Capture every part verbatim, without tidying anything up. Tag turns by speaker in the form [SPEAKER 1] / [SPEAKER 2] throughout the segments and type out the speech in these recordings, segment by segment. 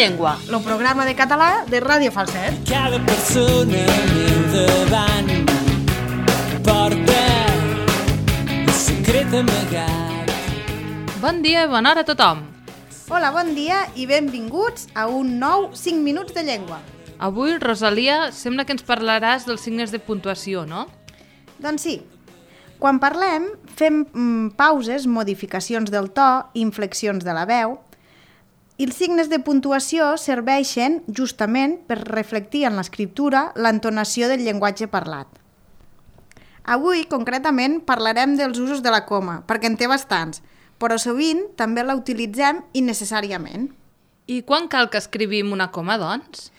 [SPEAKER 1] llengua,
[SPEAKER 2] el programa de català de Ràdio Falset.
[SPEAKER 3] Cada persona al meu davant porta un secret amagat.
[SPEAKER 1] Bon dia i bona hora a tothom.
[SPEAKER 2] Hola, bon dia i benvinguts a un nou cinc minuts de llengua.
[SPEAKER 1] Avui, Rosalia, sembla que ens parlaràs dels signes de puntuació, no?
[SPEAKER 2] Doncs sí. Quan parlem, fem mm, pauses, modificacions del to, inflexions de la veu, i els signes de puntuació serveixen justament per reflectir en l'escriptura l'entonació del llenguatge parlat. Avui, concretament, parlarem dels usos de la coma, perquè en té bastants, però sovint també la utilitzem innecessàriament.
[SPEAKER 1] I quan cal que escrivim una coma, doncs?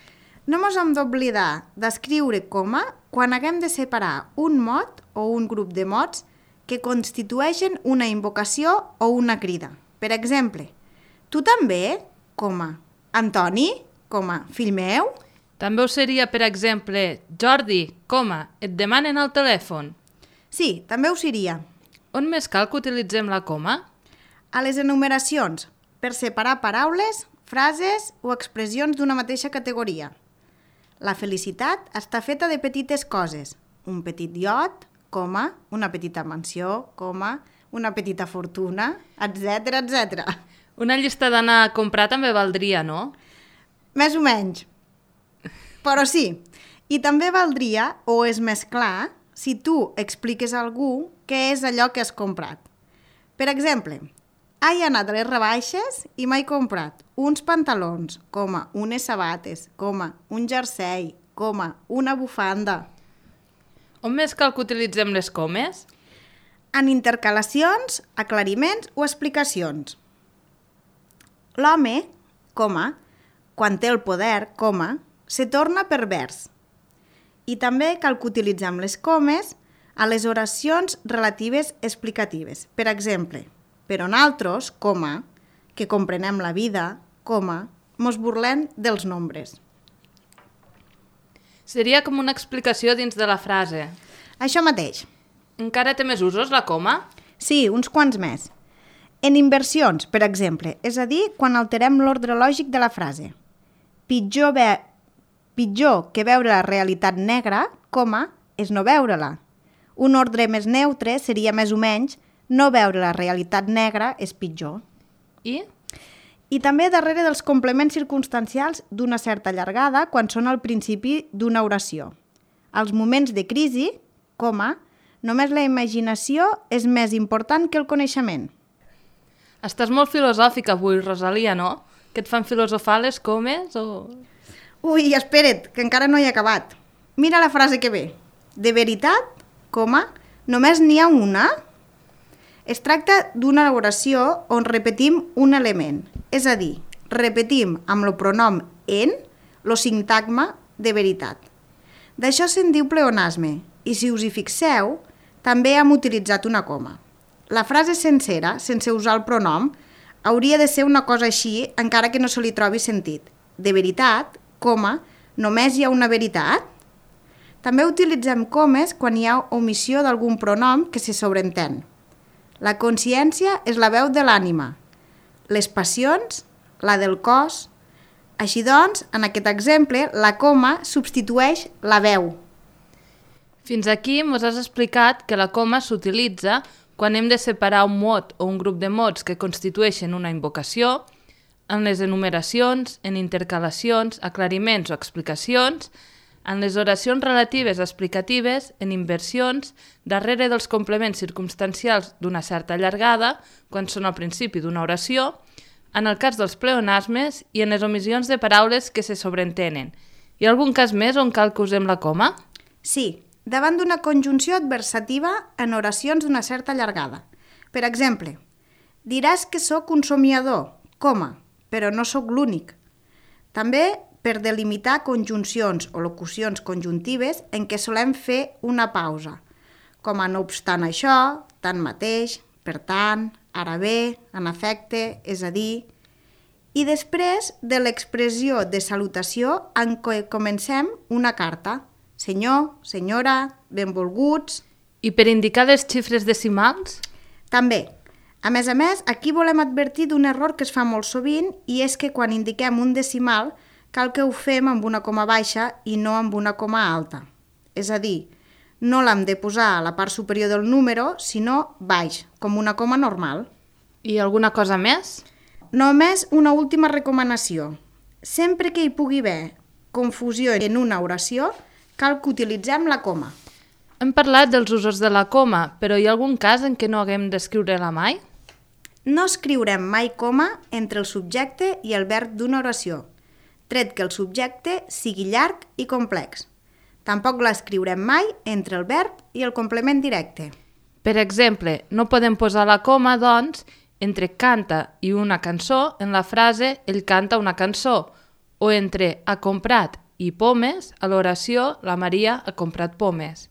[SPEAKER 2] No mos hem d'oblidar d'escriure coma quan haguem de separar un mot o un grup de mots que constitueixen una invocació o una crida. Per exemple, tu també, coma, Antoni, coma, fill meu?
[SPEAKER 1] També ho seria, per exemple, Jordi, coma, et demanen al telèfon.
[SPEAKER 2] Sí, també ho seria.
[SPEAKER 1] On més cal que utilitzem la coma?
[SPEAKER 2] A les enumeracions, per separar paraules, frases o expressions d'una mateixa categoria. La felicitat està feta de petites coses. Un petit iot, coma, una petita mansió, coma, una petita fortuna, etcètera, etcètera.
[SPEAKER 1] Una llista d'anar a comprar també valdria, no?
[SPEAKER 2] Més o menys. Però sí, i també valdria, o és més clar, si tu expliques a algú què és allò que has comprat. Per exemple, he anat a les rebaixes i m'he comprat uns pantalons, coma, unes sabates, coma, un jersei, coma, una bufanda.
[SPEAKER 1] On més cal que utilitzem les comes?
[SPEAKER 2] En intercalacions, aclariments o explicacions. L'home, coma, quan té el poder, coma, se torna pervers. I també cal que utilitzem les comes a les oracions relatives explicatives. Per exemple, però nosaltres, coma, que comprenem la vida, coma, mos burlem dels nombres.
[SPEAKER 1] Seria com una explicació dins de la frase.
[SPEAKER 2] Això mateix.
[SPEAKER 1] Encara té més usos, la coma?
[SPEAKER 2] Sí, uns quants més. En inversions, per exemple, és a dir, quan alterem l'ordre lògic de la frase. Pitjor, ve... Pitjor que veure la realitat negra, coma, és no veure-la. Un ordre més neutre seria més o menys no veure la realitat negra és pitjor.
[SPEAKER 1] I?
[SPEAKER 2] I també darrere dels complements circumstancials d'una certa llargada quan són al principi d'una oració. Als moments de crisi, coma, només la imaginació és més important que el coneixement.
[SPEAKER 1] Estàs molt filosòfica avui, Rosalia, no? Que et fan filosofar les comes o...?
[SPEAKER 2] Ui, espera't, que encara no he acabat. Mira la frase que ve. De veritat, coma, només n'hi ha una? Es tracta d'una oració on repetim un element, és a dir, repetim amb el pronom en el sintagma de veritat. D'això se'n diu pleonasme, i si us hi fixeu, també hem utilitzat una coma. La frase sencera, sense usar el pronom, hauria de ser una cosa així, encara que no se li trobi sentit. De veritat, coma, només hi ha una veritat? També utilitzem comes quan hi ha omissió d'algun pronom que se sobreentén. La consciència és la veu de l'ànima, les passions, la del cos. Així doncs, en aquest exemple, la coma substitueix la veu.
[SPEAKER 1] Fins aquí mos has explicat que la coma s'utilitza quan hem de separar un mot o un grup de mots que constitueixen una invocació, en les enumeracions, en intercalacions, aclariments o explicacions, en les oracions relatives explicatives, en inversions, darrere dels complements circumstancials d'una certa llargada, quan són al principi d'una oració, en el cas dels pleonasmes i en les omissions de paraules que se sobreentenen. Hi ha algun cas més on cal que usem la coma?
[SPEAKER 2] Sí, davant d'una conjunció adversativa en oracions d'una certa llargada. Per exemple, diràs que sóc un somiador, coma, però no sóc l'únic. També per delimitar conjuncions o locucions conjuntives en què solem fer una pausa, com a no obstant això, tanmateix, per tant, ara bé, en efecte, és a dir... I després de l'expressió de salutació en què comencem una carta. Senyor, senyora, benvolguts...
[SPEAKER 1] I per indicar les xifres decimals?
[SPEAKER 2] També. A més a més, aquí volem advertir d'un error que es fa molt sovint i és que quan indiquem un decimal cal que ho fem amb una coma baixa i no amb una coma alta. És a dir, no l'hem de posar a la part superior del número, sinó baix, com una coma normal.
[SPEAKER 1] I alguna cosa més?
[SPEAKER 2] Només una última recomanació. Sempre que hi pugui haver confusió en una oració, cal que utilitzem la coma.
[SPEAKER 1] Hem parlat dels usos de la coma, però hi ha algun cas en què no haguem d'escriure-la mai?
[SPEAKER 2] No escriurem mai coma entre el subjecte i el verb d'una oració, tret que el subjecte sigui llarg i complex. Tampoc l'escriurem mai entre el verb i el complement directe.
[SPEAKER 1] Per exemple, no podem posar la coma, doncs, entre canta i una cançó en la frase ell canta una cançó, o entre ha comprat i pomes a l'oració la Maria ha comprat pomes.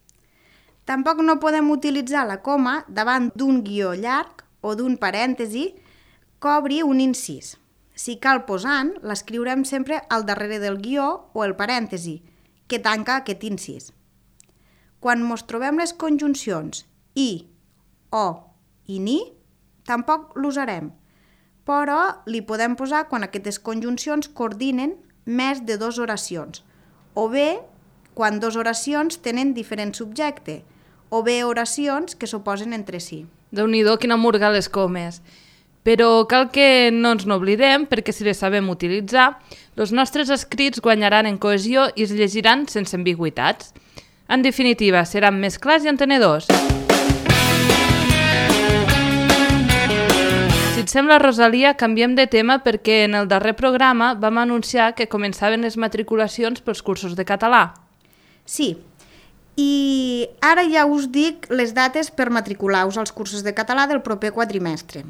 [SPEAKER 2] Tampoc no podem utilitzar la coma davant d'un guió llarg o d'un parèntesi que obri un incís. Si cal posant, l'escriurem sempre al darrere del guió o el parèntesi, que tanca aquest incís. Quan mos trobem les conjuncions i, o i ni, tampoc l'usarem, però li podem posar quan aquestes conjuncions coordinen més de dues oracions, o bé quan dues oracions tenen diferent subjecte, o bé oracions que s'oposen entre si.
[SPEAKER 1] Déu-n'hi-do, quina murga les comes. Però cal que no ens n'oblidem, perquè si les sabem utilitzar, els nostres escrits guanyaran en cohesió i es llegiran sense ambigüitats. En definitiva, seran més clars i entenedors. Si et sembla, Rosalia, canviem de tema perquè en el darrer programa vam anunciar que començaven les matriculacions pels cursos de català.
[SPEAKER 2] Sí, i ara ja us dic les dates per matricular-vos als cursos de català del proper quadrimestre.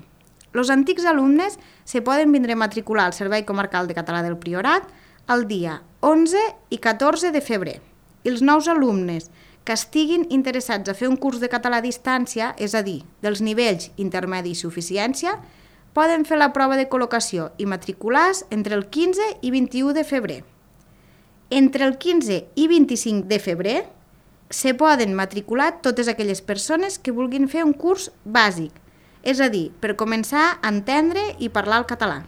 [SPEAKER 2] Els antics alumnes se poden vindre a matricular al Servei Comarcal de Català del Priorat el dia onze i catorze de febrer. I els nous alumnes que estiguin interessats a fer un curs de català a distància, és a dir, dels nivells intermedi i suficiència, poden fer la prova de col·locació i matricular-se entre el quinze i vint-i-u de febrer. Entre el quinze i vint-i-cinc de febrer se poden matricular totes aquelles persones que vulguin fer un curs bàsic, és a dir, per començar a entendre i parlar el català.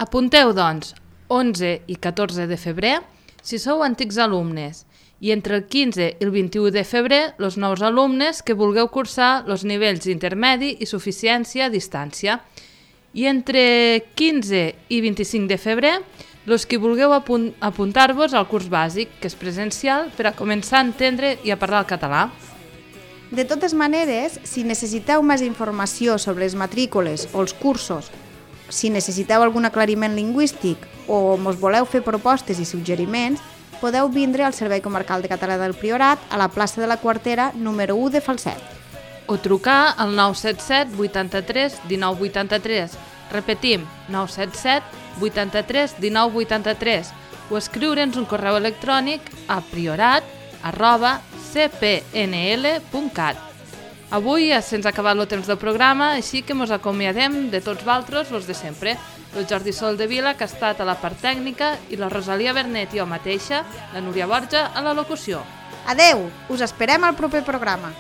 [SPEAKER 1] Apunteu, doncs, onze i catorze de febrer, si sou antics alumnes, i entre el quinze i el vint-i-u de febrer, els nous alumnes que vulgueu cursar els nivells intermedi i suficiència a distància. I entre quinze i vint-i-cinc de febrer, els que vulgueu apunt apuntar-vos al curs bàsic, que és presencial, per a començar a entendre i a parlar el català.
[SPEAKER 2] De totes maneres, si necessiteu més informació sobre les matrícules o els cursos, si necessiteu algun aclariment lingüístic o mos voleu fer propostes i suggeriments, podeu vindre al Servei Comarcal de Català del Priorat a la plaça de la Quartera número u de Falset.
[SPEAKER 1] O trucar al nou set set vuitanta-tres dinou vuitanta-tres. Repetim, nou set set vuitanta-tres dinou vuitanta-tres, o escriure'ns un correu electrònic a priorat arroba c p n l punt cat. Avui se'ns ha acabat el temps del programa, així que mos acomiadem de tots valtros, els de sempre. El Jordi Sol de Vila, que ha estat a la part tècnica, i la Rosalia Bernet i jo mateixa, la Núria Borja, a la locució.
[SPEAKER 2] Adeu! Us esperem al proper programa.